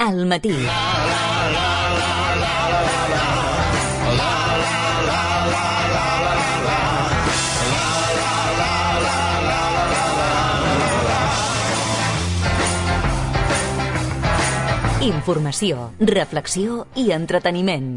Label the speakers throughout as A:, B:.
A: al matí. Informació, reflexió i entreteniment.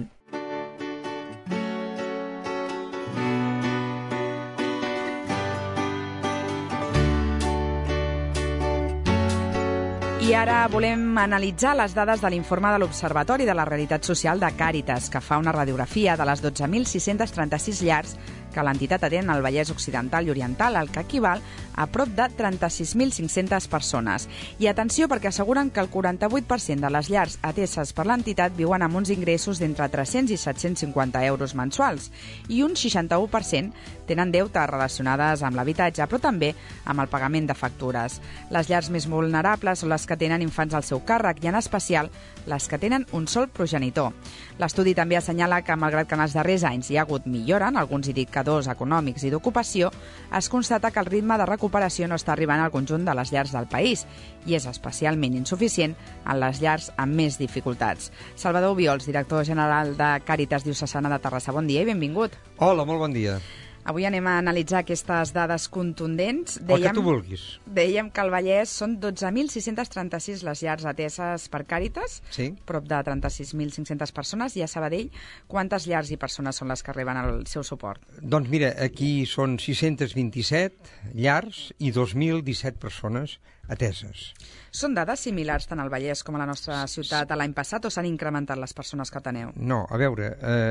B: I ara volem analitzar les dades de l'informe de l'Observatori de la Realitat Social de Càritas, que fa una radiografia de les 12.636 llars que l'entitat atén al Vallès Occidental i Oriental, el que equival a prop de 36.500 persones. I atenció, perquè asseguren que el 48% de les llars ateses per l'entitat viuen amb uns ingressos d'entre 300 i 750 euros mensuals i un 61% tenen deutes relacionades amb l'habitatge, però també amb el pagament de factures. Les llars més vulnerables són les que tenen infants al seu càrrec i, en especial, les que tenen un sol progenitor. L'estudi també assenyala que, malgrat que en els darrers anys hi ha hagut millora en alguns indicadors econòmics i d'ocupació, es constata que el ritme de recuperació no està arribant al conjunt de les llars del país i és especialment insuficient en les llars amb més dificultats. Salvador Obiols, director general de Càritas Diocesana de Terrassa, bon dia i benvingut.
C: Hola, molt bon dia.
B: Avui anem a analitzar aquestes dades contundents.
C: El que tu vulguis.
B: Dèiem que al Vallès són 12.636 les llars ateses per Càritas,
C: sí.
B: Prop de 36.500 persones, i a Sabadell, quantes llars i persones són les que reben el seu suport?
C: Doncs mira, aquí són 627 llars i 2.017 persones ateses.
B: Són dades similars tant al Vallès com a la nostra ciutat a l'any passat o s'han incrementat les persones que ateneu?
C: No, a veure,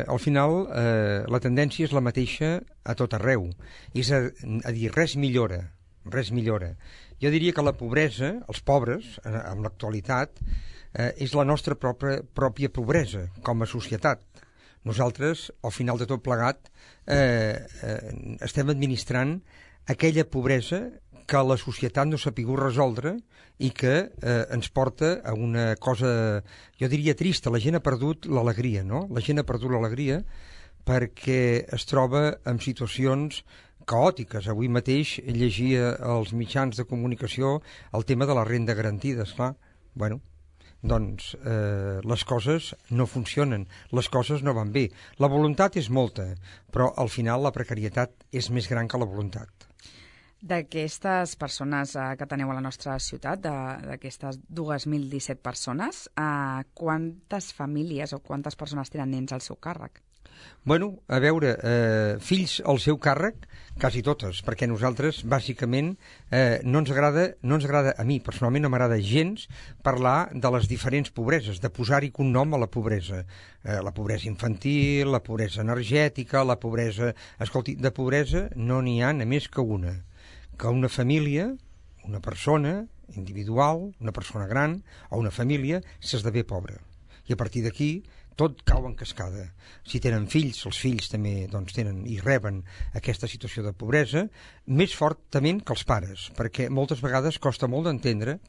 C: al final la tendència és la mateixa a tot arreu. És a dir, res millora. Jo diria que la pobresa, els pobres, en l'actualitat, és la nostra pròpia pobresa com a societat. Nosaltres, al final de tot plegat, estem administrant aquella pobresa que la societat no s'ha pogut resoldre i que ens porta a una cosa, jo diria, trista. La gent ha perdut l'alegria, no? La gent ha perdut l'alegria perquè es troba en situacions caòtiques. Avui mateix llegia als mitjans de comunicació el tema de la renda garantida, esclar. Bueno, doncs les coses no funcionen, les coses no van bé. La voluntat és molta, però al final la precarietat és més gran que la voluntat.
B: D'aquestes persones que teniu a la nostra ciutat, d'aquestes 2.017 persones, quantes famílies o quantes persones tenen nens al seu càrrec?
C: Bueno, a veure, fills al seu càrrec, quasi totes, perquè nosaltres, bàsicament, no ens agrada, a mi personalment no m'agrada gens parlar de les diferents pobreses, de posar-hi cognom a la pobresa. La pobresa infantil, la pobresa energètica, la pobresa... Escolti, de pobresa no n'hi ha només que una família, una persona individual, una persona gran o una família s'esdevé pobra. I a partir d'aquí tot cau en cascada. Si tenen fills, els fills també doncs, tenen i reben aquesta situació de pobresa, més fortament que els pares, perquè moltes vegades costa molt d'entendre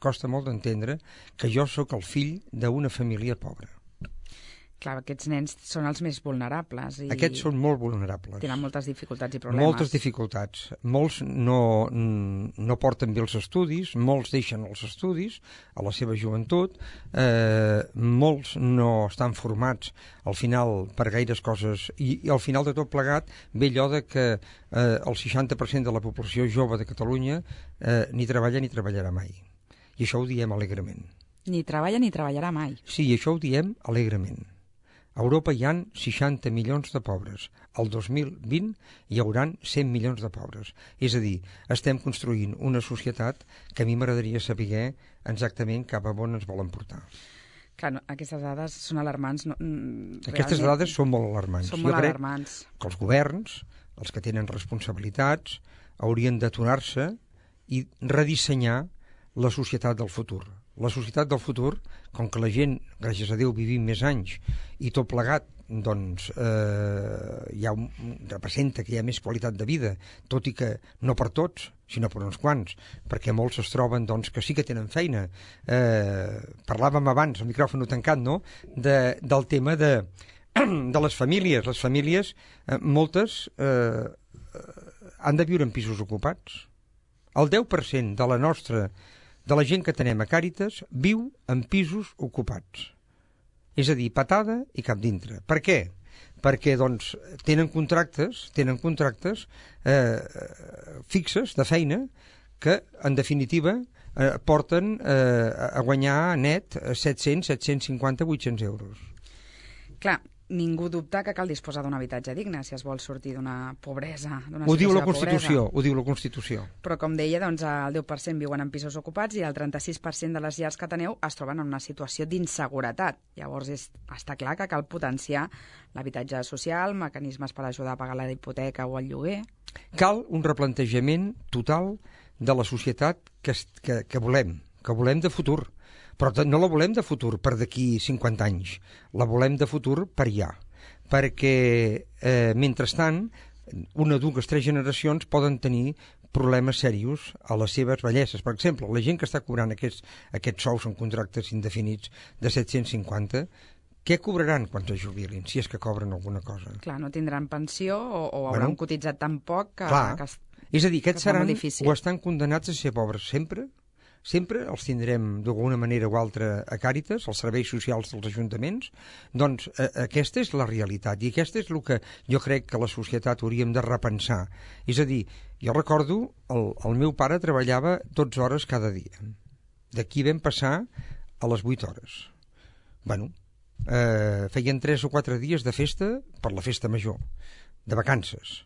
C: que jo sóc el fill d'una família pobra.
B: Clar, aquests nens són els més vulnerables.
C: Aquests són molt vulnerables.
B: Tenen moltes dificultats i problemes.
C: Moltes dificultats. Molts no porten bé els estudis, molts deixen els estudis a la seva joventut, molts no estan formats al final per gaires coses i al final de tot plegat ve allò de que el 60% de la població jove de Catalunya ni treballa ni treballarà mai. I això ho diem alegrement.
B: Ni treballa ni treballarà mai.
C: Sí, això ho diem alegrement. A Europa hi ha 60 milions de pobres. El 2020 hi hauran 100 milions de pobres. És a dir, estem construint una societat que a mi m'agradaria saber exactament cap a on ens volen portar.
B: Clar, no, aquestes dades són alarmants.
C: Aquestes dades són molt alarmants.
B: Són molt alarmants.
C: Que els governs, els que tenen responsabilitats, haurien d'aturar-se i redissenyar la societat del futur. La societat del futur, com que la gent, gràcies a Déu, vivim més anys i tot plegat, doncs representa que hi ha més qualitat de vida, tot i que no per tots, sinó per uns quants, perquè molts es troben doncs, que sí que tenen feina. Parlàvem abans, el micròfon tancat, no?, del tema de les famílies. Les famílies, moltes, han de viure en pisos ocupats. El 10% de la nostra de la gent que tenem a Càritas viu en pisos ocupats. És a dir, patada i cap dintre. Per què? Perquè doncs, tenen contractes fixes de feina que, en definitiva, porten a guanyar net 700, 750, 800 euros.
B: Clar, ningú dubta que cal disposar d'un habitatge digne si es vol sortir d'una pobresa, d'una
C: Ho diu
B: situació
C: la
B: de
C: Constitució,
B: pobresa.
C: ho diu la Constitució.
B: Però, com deia, doncs, el 10% viuen en pisos ocupats i el 36% de les llars que teneu es troben en una situació d'inseguretat. Llavors, està clar que cal potenciar l'habitatge social, mecanismes per ajudar a pagar la hipoteca o el lloguer.
C: Cal un replantejament total de la societat que volem de futur. Però no la volem de futur per d'aquí 50 anys, la volem de futur per ja. Perquè, mentrestant, una, dues, tres generacions poden tenir problemes serios a les seves velleses. Per exemple, la gent que està cobrant aquests sous en contractes indefinits de 750, què cobraran quan es jubilin, si és que cobren alguna cosa?
B: Clar, no tindran pensió o hauran cotitzat tan poc que...
C: És a dir, aquests seran
B: o
C: estan condenats a ser pobres sempre. Sempre els tindrem d'alguna manera o altra a Càritas, els serveis socials dels ajuntaments. Doncs aquesta és la realitat i aquesta és el que jo crec que la societat hauríem de repensar. És a dir, jo recordo el meu pare treballava 12 hores cada dia. D'aquí vam passar a les 8 hores. Bueno, feien 3 o 4 dies de festa per la festa major, de vacances.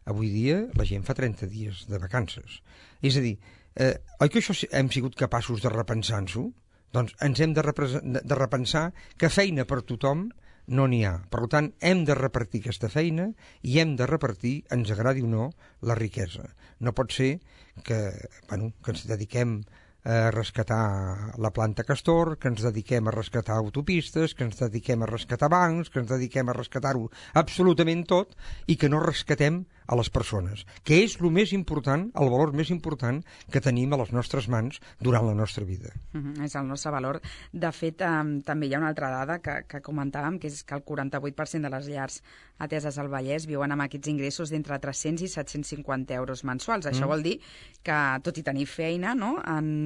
C: Avui dia la gent fa 30 dies de vacances. És a dir, oi que això hem sigut capaços de repensar-nos-ho? Doncs ens hem de repensar que feina per tothom no n'hi ha. Per tant, hem de repartir aquesta feina i hem de repartir, ens agradi o no, la riquesa. No pot ser que ens dediquem a rescatar la planta Castor, que ens dediquem a rescatar autopistes, que ens dediquem a rescatar bancs, que ens dediquem a rescatar-ho absolutament tot i que no rescatem a les persones, que és el més important, el valor més important que tenim a les nostres mans durant la nostra vida.
B: És el nostre valor. De fet, també hi ha una altra dada que comentàvem, que és que el 48% de les llars ateses al Vallès viuen amb aquests ingressos d'entre 300 i 750 euros mensuals. Això vol dir que, tot i tenir feina, no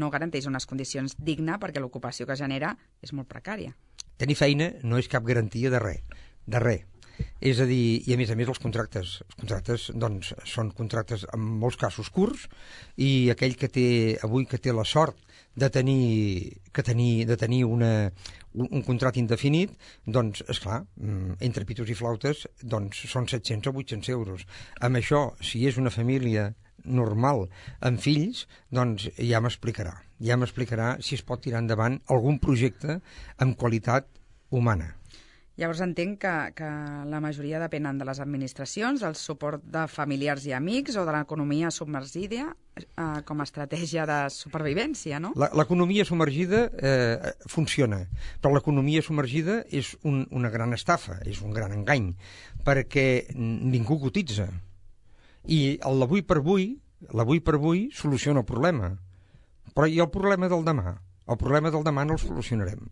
B: garanteix unes condicions dignes perquè l'ocupació que genera és molt precària.
C: Tenir feina no és cap garantia de res, de res. És a dir, i a més els contractes doncs, són contractes en molts casos curts i aquell que té la sort de tenir un contracte indefinit, doncs, esclar, entre pitos i flautes, doncs són 700 o 800 euros. Amb això, si és una família normal amb fills, doncs ja m'explicarà si es pot tirar endavant algun projecte amb qualitat humana.
B: Llavors entenc que la majoria depenen de les administracions, del suport de familiars i amics o de l'economia submergida com a estratègia de supervivència, no?
C: L'economia submergida funciona, però l'economia submergida és una gran estafa, és un gran engany, perquè ningú cotitza. I l'avui per avui soluciona el problema. Però i el problema del demà? El problema del demà no el solucionarem.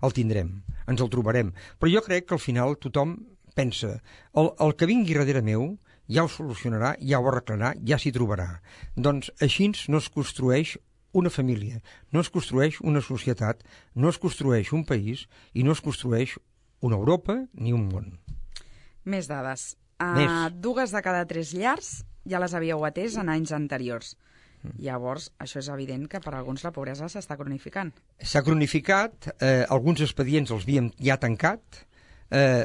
C: El tindrem, ens el trobarem. Però jo crec que al final tothom pensa el que vingui darrere meu ja ho solucionarà, ja ho arreglarà, ja s'hi trobarà. Doncs així no es construeix una família, no es construeix una societat, no es construeix un país i no es construeix una Europa ni un món.
B: Més dades. 2 de cada 3 llars ja les havíeu atès en anys anteriors. Llavors, això és evident que per a alguns la pobresa s'està cronificant. S'ha
C: cronificat, alguns expedients els havíem ja tancat,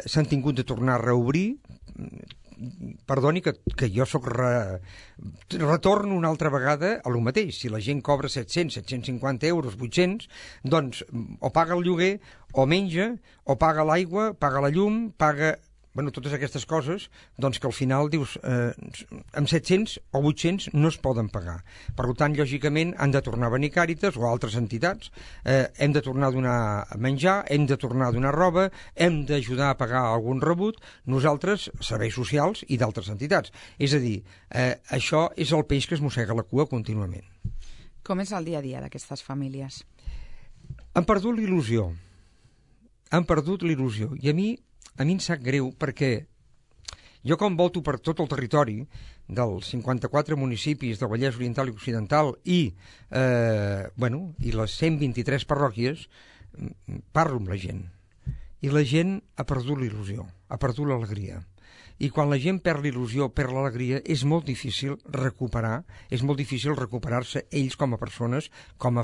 C: s'han tingut de tornar a reobrir. Perdoni que jo retorno una altra vegada a lo mateix. Si la gent cobra 700, 750 euros, 800, doncs o paga el lloguer, o menja, o paga l'aigua, paga la llum, paga... totes aquestes coses, doncs que al final dius, amb 700 o 800 no es poden pagar. Per tant, lògicament, han de tornar a venir Càritas o altres entitats, hem de tornar a donar menjar, hem de tornar a donar roba, hem d'ajudar a pagar algun rebut, nosaltres, serveis socials i d'altres entitats. És a dir, això és el peix que es mossega la cua contínuament.
B: Com és el dia a dia d'aquestes famílies?
C: Han perdut l'il·lusió. I a mi em sap greu perquè Jo com volto per tot el territori dels 54 municipis del Vallès Oriental i Occidental i les 123 parròquies, parlo amb la gent. I la gent ha perdut l'il·lusió, ha perdut l'alegria. I quan la gent perd l'il·lusió, perd l'alegria, és molt difícil recuperar-se ells com a persones, com a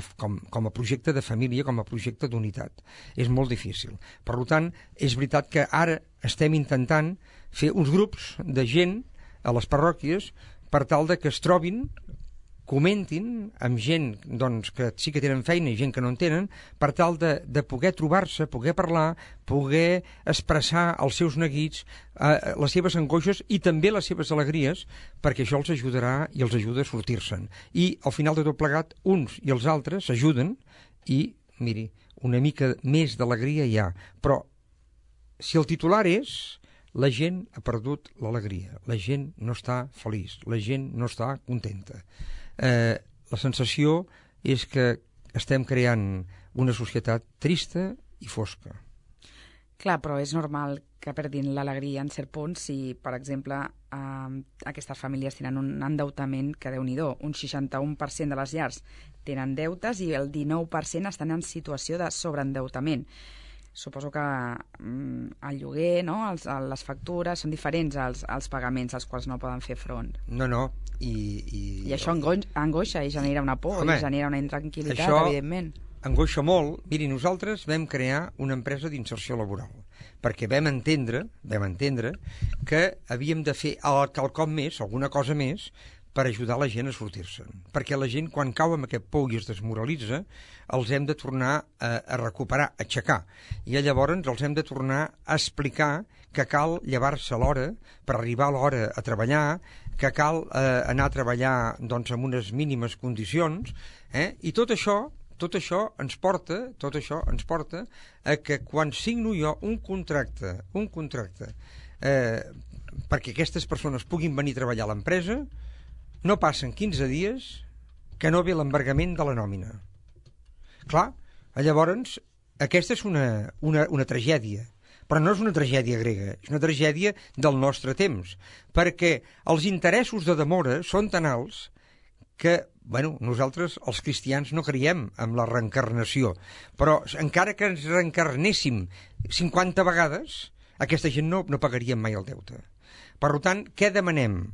C: projecte de família, com a projecte d'unitat. És molt difícil. Per tant, és veritat que ara estem intentant fer uns grups de gent a les parròquies per tal de que es trobin, comentin amb gent que sí que tenen feina i gent que no en tenen, per tal de poder trobar-se, poder parlar, poder expressar els seus neguits, les seves angoixes i també les seves alegries, perquè això els ajudarà i els ajuda a sortir-se'n. I al final de tot plegat, uns i els altres s'ajuden i, miri, una mica més d'alegria hi ha. Però si el titular és la gent ha perdut l'alegria, la gent no està feliç, la gent no està contenta. La sensació és que estem creant una societat trista i fosca.
B: Clar, però és normal que perdin l'alegria en cert punt si, per exemple, aquestes famílies tenen un endeutament que, Déu-n'hi-do, un 61% de les llars tenen deutes i el 19% estan en situació de sobreendeutament. Suposo que el lloguer, no? Les factures són diferents als pagaments als quals no poden fer front.
C: No.
B: I això angoixa i genera una por, i genera una intranquil·litat, evidentment.
C: Angoixa molt. Miri, nosaltres vam crear una empresa d'inserció laboral perquè vam entendre que havíem de fer quelcom més, alguna cosa més, per ajudar la gent a sortir-se'n. Perquè la gent, quan cau amb aquest pou i es desmoralitza, els hem de tornar a recuperar, a aixecar. I llavors els hem de tornar a explicar que cal llevar-se a l'hora per arribar a l'hora a treballar, que cal anar a treballar amb unes mínimes condicions, i tot això ens porta a que quan signo jo un contracte perquè aquestes persones puguin venir a treballar a l'empresa, no passen 15 dies que no ve l'embargament de la nòmina. Clar, llavors, aquesta és una tragèdia, però no és una tragèdia grega, és una tragèdia del nostre temps, perquè els interessos de demora són tan alts que, nosaltres, els cristians, no creiem en la reencarnació, però encara que ens reencarnéssim 50 vegades, aquesta gent no pagaria mai el deute. Per tant, què demanem?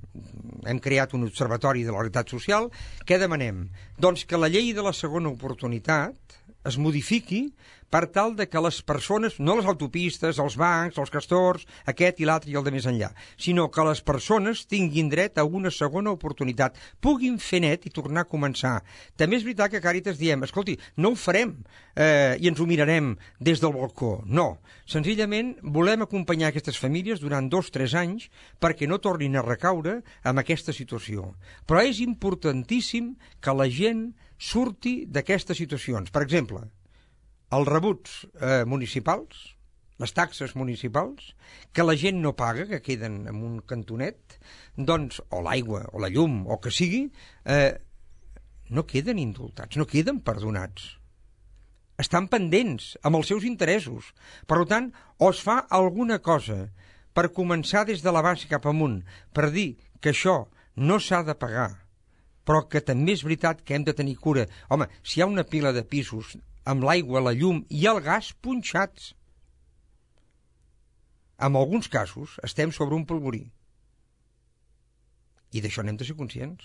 C: Hem creat un observatori de la realitat social. Què demanem? Doncs que la llei de la segona oportunitat es modifiqui per tal de que les persones, no les autopistes, els bancs, els castors, aquest i l'altre i el de més enllà, sinó que les persones tinguin dret a una segona oportunitat, puguin fer net i tornar a començar. També és veritat que a Càritas diem, escolti, no ho farem i ens ho mirarem des del balcó. No, senzillament volem acompanyar aquestes famílies durant 2-3 anys perquè no tornin a recaure en aquesta situació. Però és importantíssim que la gent surti d'aquestes situacions. Per exemple, els rebuts municipals, les taxes municipals, que la gent no paga, que queden en un cantonet, o l'aigua, o la llum, o que sigui, no queden indultats, no queden perdonats. Estan pendents amb els seus interessos. Per tant, o es fa alguna cosa per començar des de la base cap amunt, per dir que això no s'ha de pagar, però que també és veritat que hem de tenir cura. Home, si hi ha una pila de pisos amb l'aigua, la llum i el gas punxats, en alguns casos estem sobre un polvorí. I d'això n'hem de ser conscients.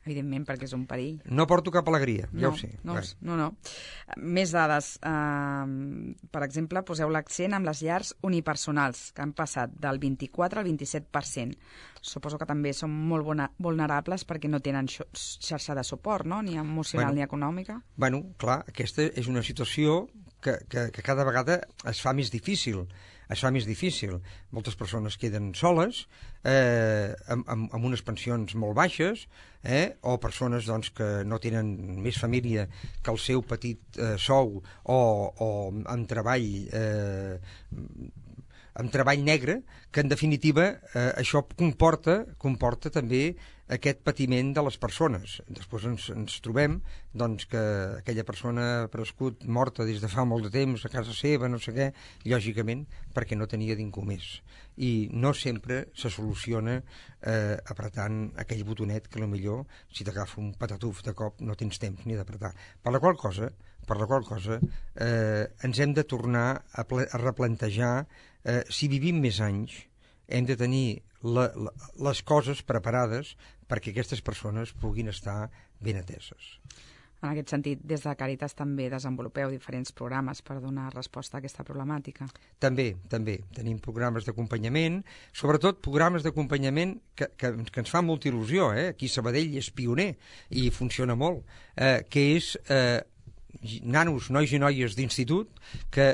B: Evidentment, perquè és un perill.
C: No porto cap alegria, ja ho sé.
B: No. Més dades. Per exemple, poseu l'accent amb les llars unipersonals, que han passat del 24 al 27%. Suposo que també són molt vulnerables perquè no tenen xarxa de suport, no? Ni emocional ni econòmica.
C: Clar, aquesta és una situació que cada vegada es fa més difícil. Moltes persones queden soles, amb unes pensions molt baixes, o persones que no tenen més família que el seu petit sou o amb treball negre, que en definitiva això comporta també aquest patiment de les persones. Després ens trobem doncs, que aquella persona ha prescut morta des de fa molt de temps a casa seva, no sé què, lògicament perquè no tenia ningú més. I no sempre se soluciona apretant aquell botonet que potser si t'agafa un patatuf de cop no tens temps ni d'apretar. Per la qual cosa ens hem de tornar a replantejar si vivim més anys hem de tenir les coses preparades perquè aquestes persones puguin estar ben ateses.
B: En aquest sentit, des de Càritas també desenvolupeu diferents programes per donar resposta a aquesta problemàtica.
C: També. Tenim programes d'acompanyament, sobretot programes d'acompanyament que ens fa molta il·lusió. Aquí Sabadell és pioner i funciona molt, que és nanos, nois i noies d'institut que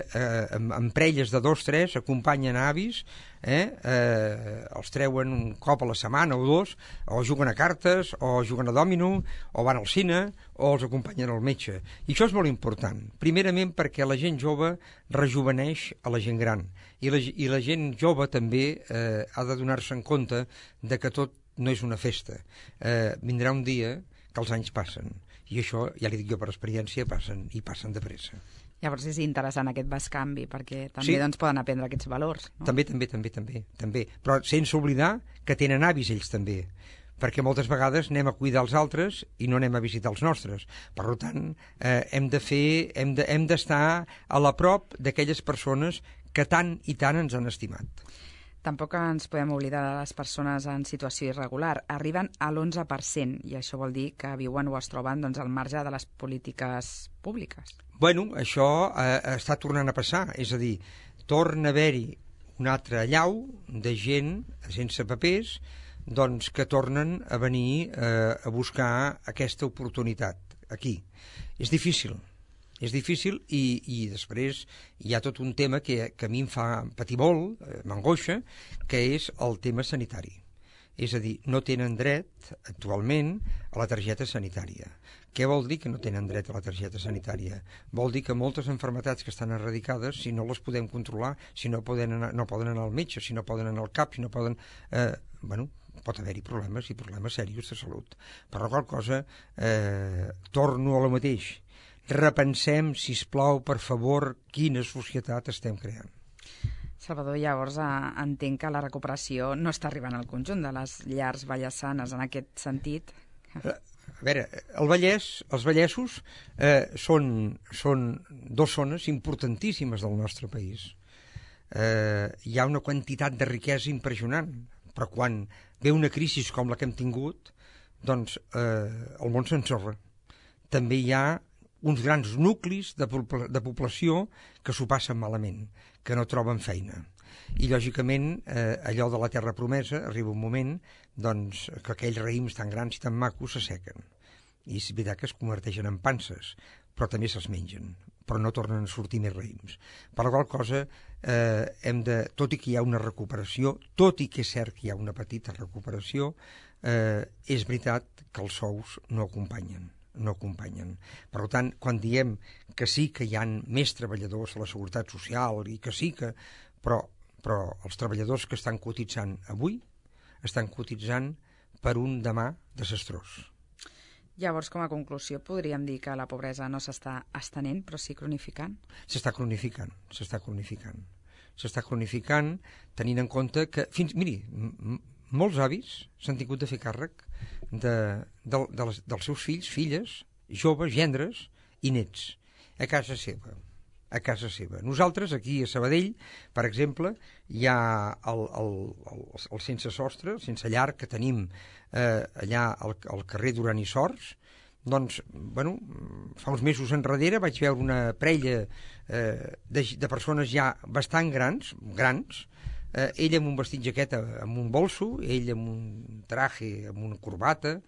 C: amb parelles de 2-3 acompanyen avis, els treuen un cop a la setmana o dos, o juguen a cartes, o juguen a dòmino, o van al cine, o els acompanyen al metge. I això és molt important, primerament perquè la gent jove rejuveneix a la gent gran, i la gent jove també ha de donar-se en compte de que tot no és una festa. Vindrà un dia que els anys passen, i això, ja li dic jo per experiència, passen de pressa.
B: Llavors és interessant aquest bescanvi, perquè també doncs, poden aprendre aquests valors. No?
C: També. Però sense oblidar que tenen avis ells també, perquè moltes vegades anem a cuidar els altres i no anem a visitar els nostres. Per tant, hem d'estar a la prop d'aquelles persones que tant i tant ens han estimat.
B: Tampoc ens podem oblidar de les persones en situació irregular. Arriben a l'11%, i això vol dir que viuen o es troben doncs, al marge de les polítiques públiques.
C: Bueno, això està tornant a passar, és a dir, torna a haver-hi un altre allau de gent sense papers doncs, que tornen a venir a buscar aquesta oportunitat aquí. És difícil i després hi ha tot un tema que a mi em fa patir molt, m'angoixa, que és el tema sanitari. És a dir, no tenen dret actualment a la targeta sanitària. Què vol dir que no tenen dret a la targeta sanitària? Vol dir que moltes malalties que estan eradicades, si no les podem controlar, si no poden anar al metge, si no poden anar al CAP, si no poden... pot haver-hi problemes i problemes seriosos de salut. Per la qual cosa, torno a lo mateix. Repensem, sisplau, per favor, quina societat estem creant.
B: Salvador, llavors entenc que la recuperació no està arribant al conjunt de les llars vallesanes en aquest sentit.
C: A veure, els vallesos són dues zones importantíssimes del nostre país. Hi ha una quantitat de riquesa impressionant, però quan ve una crisi com la que hem tingut, doncs el món s'ensorra. També hi ha uns grans nuclis de població que s'ho passen malament, que no troben feina. I, lògicament, allò de la terra promesa arriba un moment doncs, que aquells raïms tan grans i tan macos s'assequen. I és veritat que es converteixen en panses, però també se'ls mengen, però no tornen a sortir més raïms. Per la qual cosa, tot i que hi ha una recuperació, tot i que és cert que hi ha una petita recuperació, és veritat que els sous no acompanyen. Per tant, quan diem que sí que hi ha més treballadors a la Seguretat Social i que sí que... Però els treballadors que estan cotitzant avui estan cotitzant per un demà desastrós.
B: Llavors, com a conclusió, podríem dir que la pobresa no s'està estenent, però sí cronificant?
C: S'està cronificant, tenint en compte que... Miri, molts avis s'han tingut de fer càrrec dels seus fills, filles, joves, gendres i nets, a casa seva. Nosaltres, aquí a Sabadell, per exemple, hi ha el sense sostre, el sense llar que tenim allà al carrer Duran i Sors. Doncs, fa uns mesos enrere vaig veure una parella de persones ja bastant grans, ell amb un vestit jaqueta amb un bolso, ell amb un traje, amb una corbata,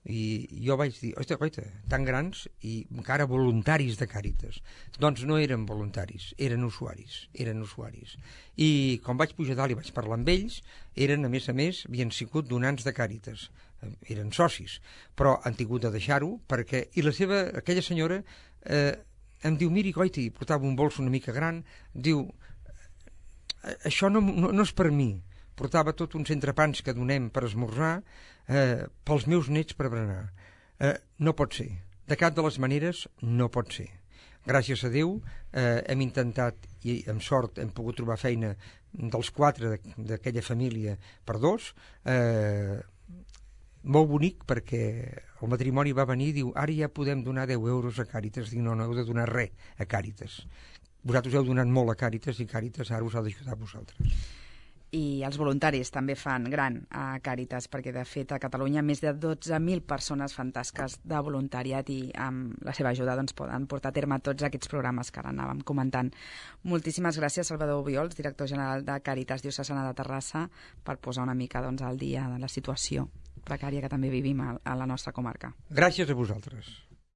C: i jo vaig dir, oita, tan grans i encara voluntaris de Càritas. Doncs no eren voluntaris, eren usuaris. I quan vaig pujar dalt i vaig parlar amb ells, eren, a més, havien sigut donants de Càritas, eren socis, però han tingut de deixar-ho perquè... I aquella senyora em diu, miri, goiti, portava un bolso una mica gran, diu, això no és per mi, portava tot uns entrepans que donem per esmorzar pels meus nets per berenar. No pot ser. De cap de les maneres no pot ser. Gràcies a Déu hem intentat, i amb sort hem pogut trobar feina dels 4 d'aquella família per 2, molt bonic, perquè el matrimoni va venir i diu, ara ja podem donar 10 euros a Càritas. Dic, no, no heu de donar res a Càritas. Vosaltres heu donat molt a Càritas i Càritas ara us ha d'ajudar a vosaltres.
B: I els voluntaris també fan gran a Càritas, perquè de fet a Catalunya més de 12.000 persones fan tasques de voluntariat i amb la seva ajuda doncs, poden portar a terme tots aquests programes que ara anàvem comentant. Moltíssimes gràcies, Salvador Obiols, director general de Càritas Diocesana de Terrassa, per posar una mica doncs, al dia de la situació precària que també vivim a la nostra comarca.
C: Gràcies a vosaltres.